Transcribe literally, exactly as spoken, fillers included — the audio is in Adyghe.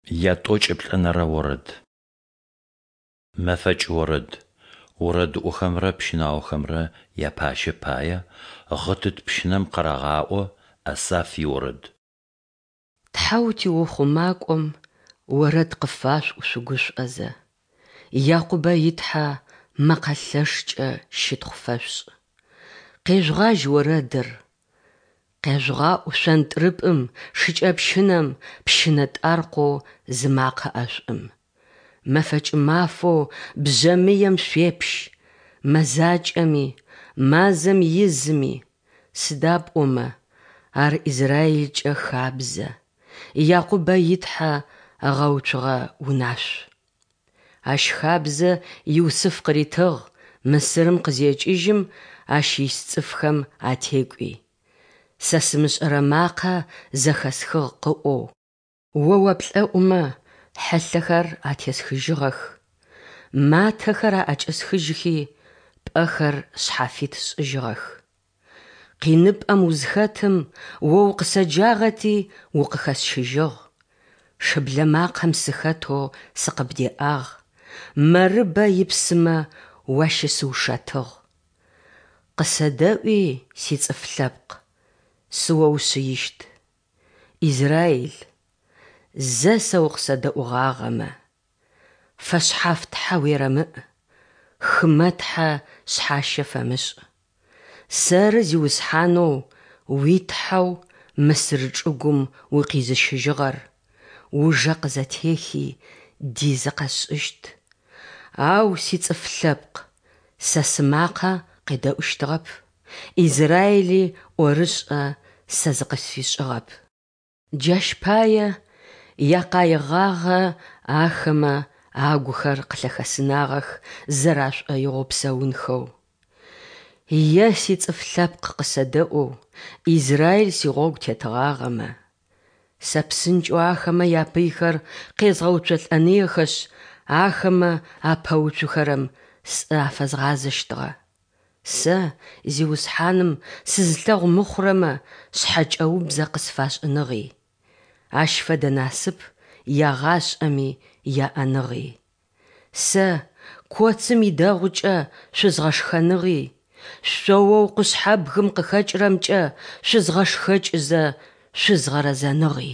Ятӏокӏиплӏэнэрэ орэд. Мэфэкӏ орэд. Орэдыӏохэмрэ пщынаохэмрэ япащэ пае гъытыт пщынэм къырагъаӏо, Асаф иорэд. Тхьэу тиухъумакӏом орэд къыфашъуӏу шъугушӏозэ, Якъубэ и Тхьэ мэкъэ лъэшкӏэ щытхъу фэшъушӏ. Къежъугъажь орэдыр! Къежъугъаӏу шъонтрыпӏым, шыкӏэпщынэм, пщынэтӏаркъоу зымакъэ ӏэшӏум. Мэфэкӏ мафэу бжъэмыем шъуепщ, мэзакӏэми, мазэм изыми, сыда пӏомэ ар Израилкӏэ хабзэ, Якъубэ и Тхьэ ыгъэуцугъэ унашъу. Ащ хабзэ Юсыф къыритыгъ Мысырым къызекӏыжьым ащ ис цӏыфхэм атекӏуи. Сэ сымышӏэрэ макъэ зэхэсхыгъ къыӏоу. О уаплӏэӏумэ хьылъэхэр атесхыжьыгъэх, матэхэр аӏэкӏэсхыжьхи, пӏэхэр шъхьафит сшӏыжьыгъэх. Къиныпӏэм узхэтым О укъысэджагъэти укъыхэсщыжьыгъ, шыблэ макъэм сыхэтэу сыкъыбдеӏагъ, Мэрыбэ ипсымэ уащысыушэтыгъ. Къысэдэӏуи, сицӏыф лъэпкъ, сыоушъыищт. Израиль, зэ сэ укъысэдэӏугъагъэмэ! Фэшъхьаф тхьэ уерэмыӏ, хымэ тхьэ шъхьащэ фэмышӏ. Сэры Зиусхьанэу уи Тхьэу Мысыр чӏыгум укъизыщыжьыгъэр, ужэ къызэтехи, дизы къэсшӏыщт. Ау сицӏыф лъэпкъ Сэ сымакъэ къедэӏущтыгъэп, Израили ӏорышӏэ Сэ зыкъысфишӏыгъэп. Джащ пае якъаигъагъэ ахэмэ агухэр къылъэхэсынагъэх зэрашӏоигъоу псэунхэу. Е сицӏыф лъэпкъ къысэдэӏоу, Израиль сигъогу тетыгъагъэмэ! Сэ псынкӏэу ахэмэ япыйхэр къезгъэуцолӏэныехэшъ, ахэмэ апэуцухэрэм сӏэ афэзгъазэщтыгъэ. Сэ, Зиусхьаным, сызылъэгъу мыхъурэмэ шъхьэкӏэубзэ къысфашӏыныгъи. Ащ фэдэ насып ягъашӏэми яӏэныгъи. Сэ коцым идэгъукӏэ шъузгъэшхэныгъи, шъооу къушъхьэбгым къыхэкӏырэмкӏэ шъузгъэшхэкӏызэ шъузгъэрэзэныгъи.